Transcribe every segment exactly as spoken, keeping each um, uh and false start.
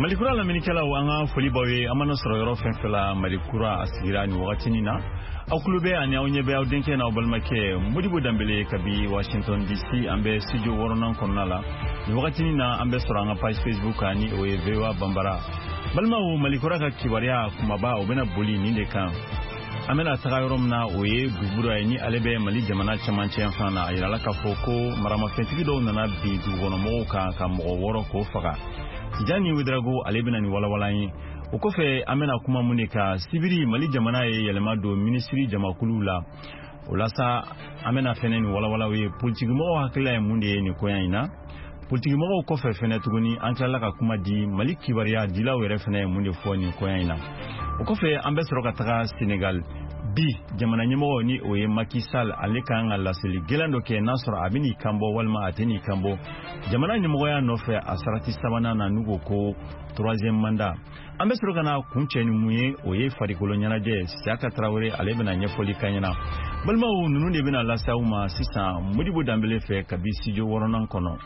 Malikura lamɛnnikɛlaw, an ka foli b'aw ye. An mana sɔrɔ yɔrɔ fɛn fɛn la, Malikura a sigira nin wagatinin na. Aw tulo bɛ ani aw ɲɛ bɛ aw denkɛ n'aw balimakɛ Modibo Danbele kabi Washington D C. An bɛ studio wɔɔrɔnan kɔnɔna la nin wagatinin na. An bɛ sɔrɔ an ka page Facebook kan, ni o ye V O A Banbara. Balimaw, Malikura ka kibaruya kumaba, o bɛna boli nin de kan. An bɛna taga yɔrɔ min na, o ye Dugura ye, ni ale bɛ Mali jamana cɛmancɛ fan na. A yirala k'a fɔ ko maramafɛntigi dɔw nana bin dugukɔnɔmɔgɔw kan ka mɔgɔ wɔɔrɔ k'o faga. Tijani Wedarago, ale bɛna nin walawala ye. O kɔfɛ, an bɛna kuma mun de kan? Sibiri, Mali jamana ye yɛlɛma don minisiri jamakulu la. O la sa, an bɛna fɛnɛ nin walawalaw ye. Politikimɔgɔw hakilila ye mun de ye nin koɲa in na? Politikimɔgɔw kɔfɛ fɛnɛ tuguni, an tilala ka kuma di Mali kibaruya dilaw yɛrɛ fɛnɛ ye mun de fɔ nin koɲa in na. O kɔfɛ, an bɛ sɔrɔ ka taga Senegal. Bi, jamana ɲɛmɔgɔ, ni o ye Macky Sall, ale kan ka laseli gɛlɛn dɔ kɛ, n'a sɔrɔ a bɛ n'i kan bɔ walima a tɛ n'i kan bɔ jamana ɲɛmɔgɔya nɔfɛ a sarati sabanan na, n'u ko ko troisième mandat. An bɛ sɔrɔ ka na kun cɛ ni mun ye? O ye farikolo ɲɛnajɛ. Siyaka Tarawele, ale bɛna ɲɛfɔli k'an ɲɛna. Balimaw, ninnu de bɛna lase aw ma sisan Modibo Danbele fɛ kabi studio wɔɔrɔnan kɔnɔ.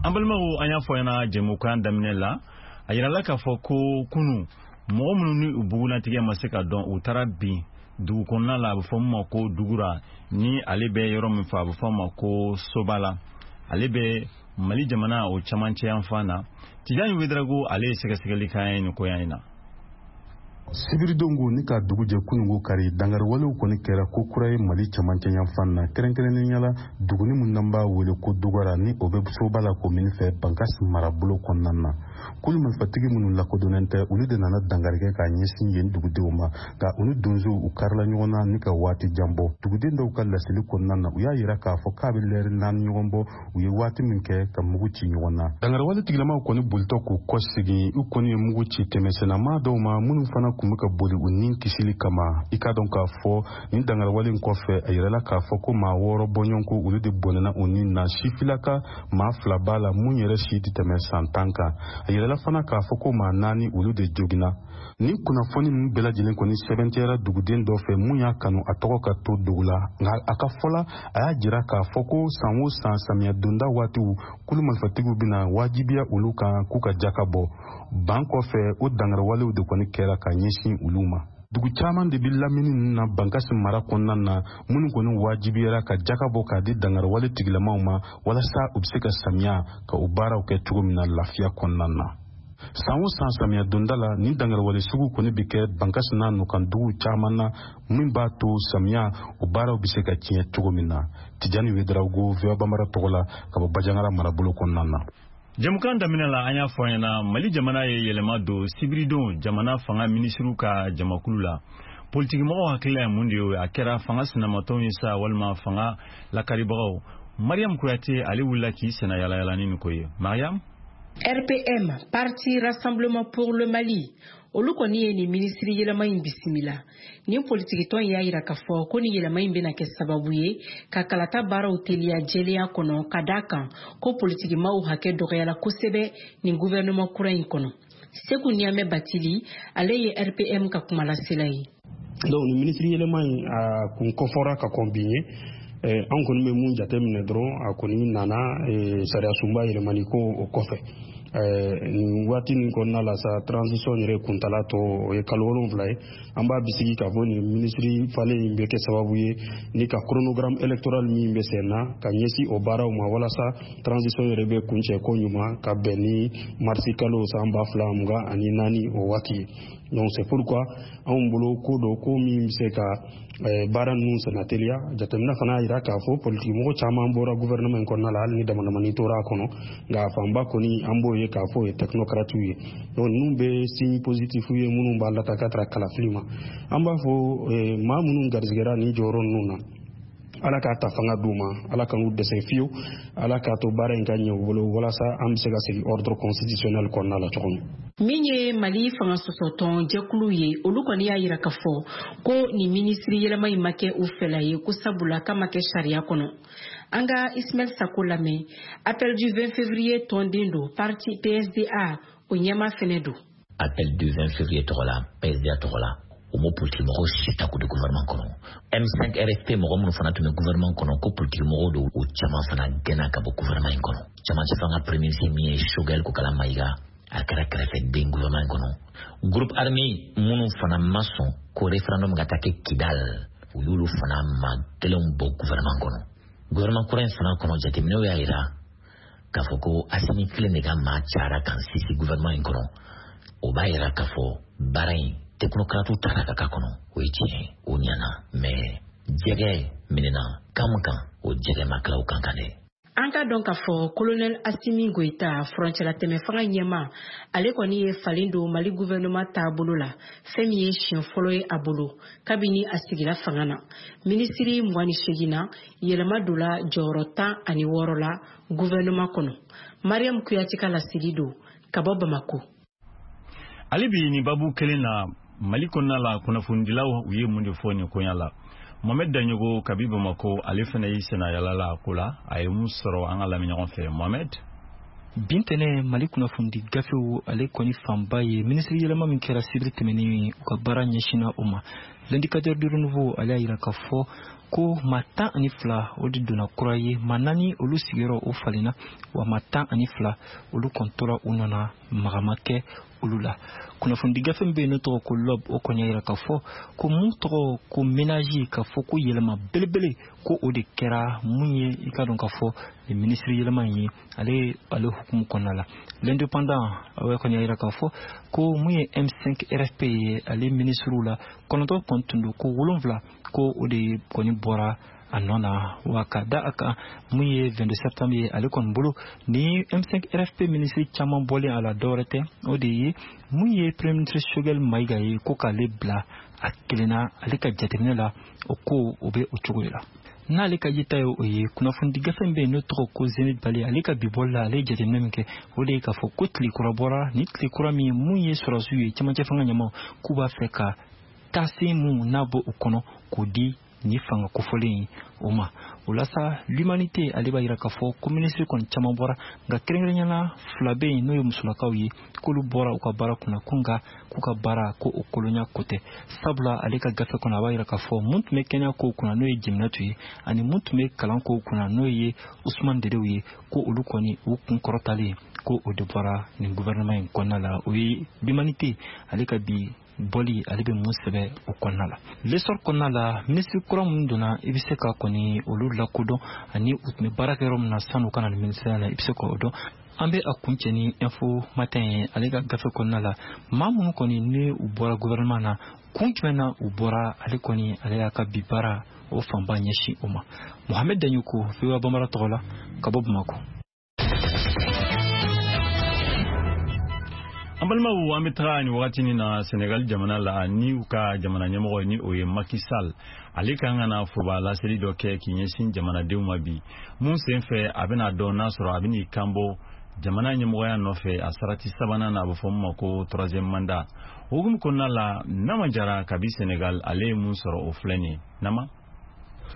An balimaw, an y'a fɔ ɲɛna jɛmukan daminɛ la, a yirala k'a fɔ ko kunu, mɔgɔ minnu ni u bugunatigɛ ma se ka dɔn, u taara bin dugu kɔnɔna la, a bɛ fɔ min ma ko Dugura, ni ale bɛ yɔrɔ min fɔ, a bɛ fɔ ma ko Sobala, ale bɛ Mali jamana o camancɛ yanfan na. Tijani Wedarago, ale ye sɛgɛsɛgɛli k'an ye nin koya in na. Sibiridon ko ni ka dugu jɛ kunungo kari, dangariwalew kɔni kɛra ko kura ye Mali camancɛ yanfan na, kɛrɛnkɛrɛnnenya la duguni min n'an b'a wele ko Dugara, ni o bɛ Soba la komini fɛ, Bankas marabolo kɔnɔna na. Kulu marifatigi minnu lakodɔnnen tɛ, olu de nana dangari kɛ k'a ɲɛsin yen dugudenw ma, nka u ni donsow u karila ɲɔgɔn na ni ka waati jan bɔ. Duguden dɔw ka laseli kɔnɔna na, u y'a yira k'a fɔ k'a bɛ lɛri naani ɲɔgɔn bɔ, u ye waati min kɛ ka mugu ci ɲɔgɔn na. Dangariwale tigilamaw kɔni bolitɔ k'u kɔ segin, u kɔni ye mugu ci tɛmɛsennama dɔw ma minnu fana kun bɛ ka boli u ni kisili kama. I k'a dɔn k'a fɔ nin dangariwale in kɔfɛ, a yirala k'a fɔ ko maa wɔɔrɔ bɔɲɔgɔnko, olu de bɔnɛna u ni na. Sifilaka maa fila b'a la mun yɛrɛ si tɛ tɛmɛ san tan kan. A yirala fana k'a fɔ ko maa naani, olu de joginna. Nin kunnafoni ninnu bɛɛ lajɛlen kɔni sɛbɛntiyara duguden dɔ fɛ mun y'a kanu a tɔgɔ ka to dugu la, nka a ka fɔ la, a y'a jira k'a fɔ ko san o san samiya donda waatiw, kulu marifatigiw bɛna wajibiya olu kan k'u ka jaka bɔ. Ban kɔfɛ, o dangariwalew de kɔni kɛra ka ɲɛsin olu ma. Dugu caman de bɛ lamini ninnu na Bankasi mara kɔnɔna na, minnu kɔni wajibiyara ka jaka bɔ k'a di dangariwale tigilamaw ma, walasa u bɛ se ka samiya ka o baaraw kɛ cogo min na lafiya kɔnɔna na. San o san samiya donda la, nin dangariwale sugu kɔni bɛ kɛ Bankasi n'a nɔkan duguw caman na, min b'a to samiya o baaraw bɛ se ka tiɲɛ cogo min na. Tijani Wedarago, V O A Banbara tɔgɔ la, ka bɔ Bajangara marabolo kɔnɔna na. Jɛmukan daminɛ la, an y'a fɔ ɲɛna, Mali jamana ye yɛlɛma don sibiridon jamana fanga minisiriw ka jamakulu la. Politikimɔgɔw hakilila ye mun de ye? A kɛra fanga sinamatɔnw ye sa walima fanga lakaribagaw? Mariam Kuyate, ale wulila k'i senna yalayala ni nin ko ye. Mariam. R P M, Parti Rassemblement pour le Mali, olu kɔni ye nin minisiri yɛlɛma in bisimila. Nin politikitɔn y'a yira k'a fɔ ko nin yɛlɛma in bɛna kɛ sababu ye ka kalata baaraw teliya jɛlenya kɔnɔ, ka da kan ko politikimaw hakɛ dɔgɔyala kosɛbɛ nin gouvernement kura in kɔnɔ. Seku Ɲamɛ Batili, ale ye R P M ka kumalasela ye. Donc nin minisiri yɛlɛma in, a kun kɔfɔra ka kɔn bi ɲɛ. An kɔni bɛ mun jateminɛ dɔrɔn, a kɔni nana sariya sunba yɛlɛmani ko o kɔfɛ. Nin waati nin kɔnɔna la sa, transition yɛrɛ kuntala tɔ o ye kalo wolonwula ye. An b'a bisigi k'a fɔ nin minisiri falen in bɛ kɛ sababu ye ni ka chronogramme électoral min bɛ sen na ka ɲɛsin o baaraw ma, walasa transition yɛrɛ bɛ kuncɛ ko ɲuman ka bɛn ni marisi kalo san ba fila mugan ani naani o waati ye. Donc c'est pourquoi anw bolo ko dɔ ko min bɛ se ka baara ninnu senna teliya. Jateminɛ fana y'a jira k'a fɔ politikimɔgɔ caman bɔra gouvernement in kɔnɔna la, hali ni damadamani tora a kɔnɔ, nka a fanba kɔni an b'o ye k'a fɔ o ye technocrates ye. Donc ninnu bɛ signe positif ye minnu b'a lata ka tara kalafili ma. An b'a fɔ maa minnu garijɛgɛra nin jɔyɔrɔ ninnu na, Ala k'a ta fanga d'u ma, Ala kan'u dɛsɛ fiyewu, Ala k'a to baara in ka ɲɛ u bolo, walasa an bɛ se ka segin ordre constitutionnel kɔnɔna la cogo min. Min ye Mali fanga sɔsɔtɔn jɛkulu ye, olu kɔni y'a yira k'a fɔ ko nin minisiri yɛlɛma in ma kɛ u fɛla ye, ko sabula k'a ma kɛ sariya kɔnɔ. An ka Ismaɛl Sako lamɛn. Appel du vingt février tɔnden don, parti P S D A o ɲɛma fɛnɛ don. Appel du vingt février tɔgɔ la, P S D A tɔgɔ la, U m'o politiki mɔgɔw si ta k'o di gouvernement kɔnɔ. M cinq R F P mɔgɔ minnu fana tun bɛ gouvernement kɔnɔ, ko politiki mɔgɔw don, o caman fana gɛnna ka bɔ gouvernement in kɔnɔ. Camancɛ fanga premier ministre min ye Choguel Kokalla Maïga, a kɛra kɛrɛfɛden gouvernement in kɔnɔ. Groupe armé minnu fana ma sɔn ko référendum ka taa kɛ Kidal, u y'olu fana maa kelenw bɔ gouvernement kɔnɔ. Gouvernement kura in fana kɔnɔ, jateminɛw y'a yira k'a fɔ ko Assimi kelen de ka maa cayara kan sisi gouvernement in kɔnɔ. O b'a yira k'a fɔ baara in, technocrates taara ka k'a kɔnɔ, o ye tiɲɛ ye, o ɲɛna, mais jɛgɛ minɛna kan min kan, o jɛgɛ ma tila o kan kan dɛ. An ka dɔn k'a fɔ colonel Assimi Goïta, furancɛlatɛmɛ fanga ɲɛma, ale kɔni ye falen don Mali gouvernement taabolo la, fɛn min ye siɲɛ fɔlɔ ye a bolo kabini a sigila fanga na. Minisiri mugan ni seegin na, yɛlɛma donna jɔyɔrɔ tan ani wɔɔrɔ la gouvernement kɔnɔ. Mariam Kuyate ka laseli don ka bɔ Bamako. Ale bi nin babu kelen na, Mali kɔnɔna la, kunnafonidilaw, u ye mun de fɔ nin koɲa la? Mohamed Daɲogo kabi Bamako, ale fana y'i senna yala la a ko la. A ye mun sɔrɔ? An ka lamɛn ɲɔgɔn fɛ, Mohamed. Bintɛnɛ, Mali kunnafonidi gafew, ale kɔni fanba ye minisiri yɛlɛma min kɛra sibiri tɛmɛnen, u ka baara ɲɛsinna o ma. L'Indicateur du Renouveau, ale y'a yira k'a fɔ ko maa tan ani fila o de donna kura ye, maa naani olu sigiyɔrɔ o falenna, wa maa tan ani fila olu kɔni tora u nɔ na, maga ma kɛ olu la. Kunnafonidi gafe min bɛ yen n'o tɔgɔ ko L'Aube, o kɔni y'a yira k'a fɔ ko mun tɔgɔ ko ménage, k'a fɔ ko yɛlɛma belebele ko o de kɛra mun ye, i ka dɔn k'a fɔ nin minisiri yɛlɛma in ye ale ale hukumu kɔnɔna la. L'Indépendant, o kɔni y'a yira k'a fɔ ko mun ye M cinq R F P ye, ale minisiriw la kɔnɔntɔn kɔni tun don, ko wolonfila ko o de kɔni bɔra a nɔ na. Wa ka da a kan, mun ye vingt-deux septembre ye, ale kɔni bolo ni M cinq R F P minisiri caman bɔlen a la, dɔwɛrɛ tɛ, o de ye mun ye premier ministre Choguel Maïga ye, ko k'ale bila a kelenna. Ale ka jateminɛ la, o ko o bɛ o cogo de la. N'ale ka yeta ye o ye. Kunnafonidi gafe min bɛ yen n'o tɔgɔ ko Zenith Bali, ale ka bi bɔli la, ale ye jateminɛ min kɛ, o de ye k'a fɔ ko tile kura bɔra ni tile kura min ye, mun ye sɔrɔdasiw ye, cɛmancɛ fanga ɲɛmaw k'u b'a fɛ ka taasen mun n'a bɔ o kɔnɔ k'o di ni fanga kofɔlen ye o ma. O la sa, L'Humanité, ale b'a yira k'a fɔ ko minisiri kɔni caman bɔra, nka kɛrɛnkɛrɛnnenya la fila bɛ yen, n'o ye musolakaw ye, k'olu bɔra u ka baara kunna, ko nka k'u ka baara ko o kolonya ko tɛ, sabula ale ka gafe kɔnɔ, a b'a yira k'a fɔ mun tun bɛ kɛnɛya kow kunna, n'o ye Jeminatu ye, ani mun tun bɛ kalan kow kunna, n'o ye Usman Dedew ye, ko olu kɔni u kun kɔrɔtalen ko o de bɔra nin gouvernement in kɔnɔna la. O ye L'Humanité, ale ka bi bɔli, ale bɛ mun sɛbɛ o kɔnɔna la. L'Essor kɔnɔna la, minisiri kura minnu donna, i bɛ se ka kɔni olu lakodɔn ani u tun bɛ baara kɛ yɔrɔ min na san'u ka na ni minisiriya la, i bɛ se k'o dɔn. An bɛ a kuncɛ ni Info Matin ye. Ale ka gafe kɔnɔna la, maa minnu kɔni ni u bɔra gouvernement na, kun jumɛn na u bɔra, ale kɔni ale y'a ka bi baara o fanba ɲɛsin o ma. Mohamed Daɲoko, V O A Bambara tɔgɔ la, ka bɔ Bamakɔ. An balimaw, an bɛ taga nin wagati na Senegal jamana la, ni u ka jamana ɲɛmɔgɔ, ni o ye Macky Sall, ale kan ka na foroba laseli dɔ kɛ k'i ɲɛsin jamanadenw ma bi. Mun sen fɛ, a bɛna dɔn n'a sɔrɔ a bɛn'i kanbɔ jamana ɲɛmɔgɔya nɔfɛ a sarati sabanan na, a bɛ fɔ min ma ko troisième mandat. O hukumu kɔnɔna la, Nama Jara kabi Senegal, ale ye mun sɔrɔ, o filɛ nin ye. Nama.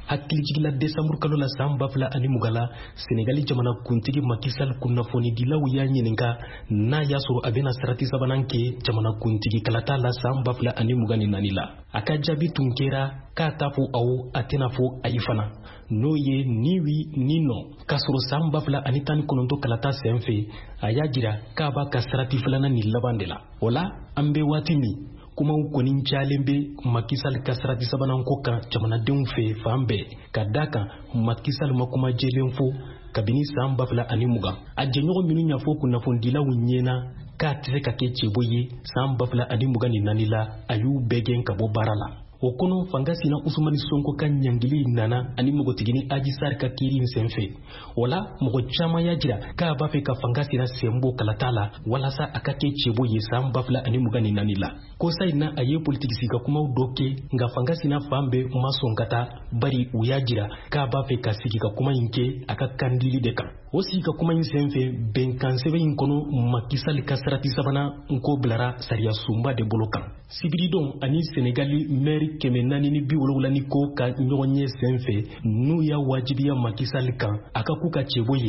Hakilijigila, desanburu kalo la san ba fila ani mugan la, Senegali jamana kuntigi Macky Sall, kunnafonidilaw y'a ɲininka n'a y'a sɔrɔ a bɛna sarati sabanan kɛ jamana kuntigi kalata la san ba fila ani mugan ni naani la. A ka jaabi tun kɛra k'a t'a fɔ awɔ, a tɛna fɔ ayi fana, n'o ye ni oui ni non. K'a sɔrɔ san ba fila ani tan ni kɔnɔntɔn kalata sen fɛ, a y'a jira k'a b'a ka sarati filanan ni laban de la. O la, an bɛ waati min, kumaw kɔni cayalen bɛ Macky Sall ka sarati sabanan ko kan jamanadenw fɛ fan bɛɛ, ka da kan Macky Sall ma kuma jɛlen fɔ kabini san ba fila ani mugan. A jɛɲɔgɔn minnu y'a fɔ kunnafonidilaw ɲɛna k'a tɛ se ka kɛ cɛbɔ ye san ba fila ani mugan ni naani la, a y'u bɛɛ gɛn ka bɔ baara la. O kɔnɔ, fanga sina Usumani Sonko ka ɲangili nana ani npogotigini Adji Sarr ka kiiri in senfɛ. O la, mɔgɔ caman y'a jira k'a b'a fɛ ka fanga sina sen bɔ kalata la walasa a ka kɛ cɛbɔ ye san ba fila ani mugan ni naani la. Kosa in na, a ye politiki sigi kumaw dɔ kɛ, nka fanga sina fan bɛɛ ma sɔn ka taa, bari u y'a jira k'a b'a fɛ ka sigi ka kuma in kɛ a ka kandili de kan. O sigi ka kuma in senfɛ, bɛnkan sɛbɛn in kɔnɔ, Macky Sall ka sarati sabanan nko bilara sariya sunba de bolo kan. Sibiridon ani Senegali mɛri kɛmɛ naani ni bi wolonwula ni ko ka ɲɔgɔn ye sen fɛ, n'u y'a wajibiya Macky Sall kan a ka k'u ka cɛbɔ ye.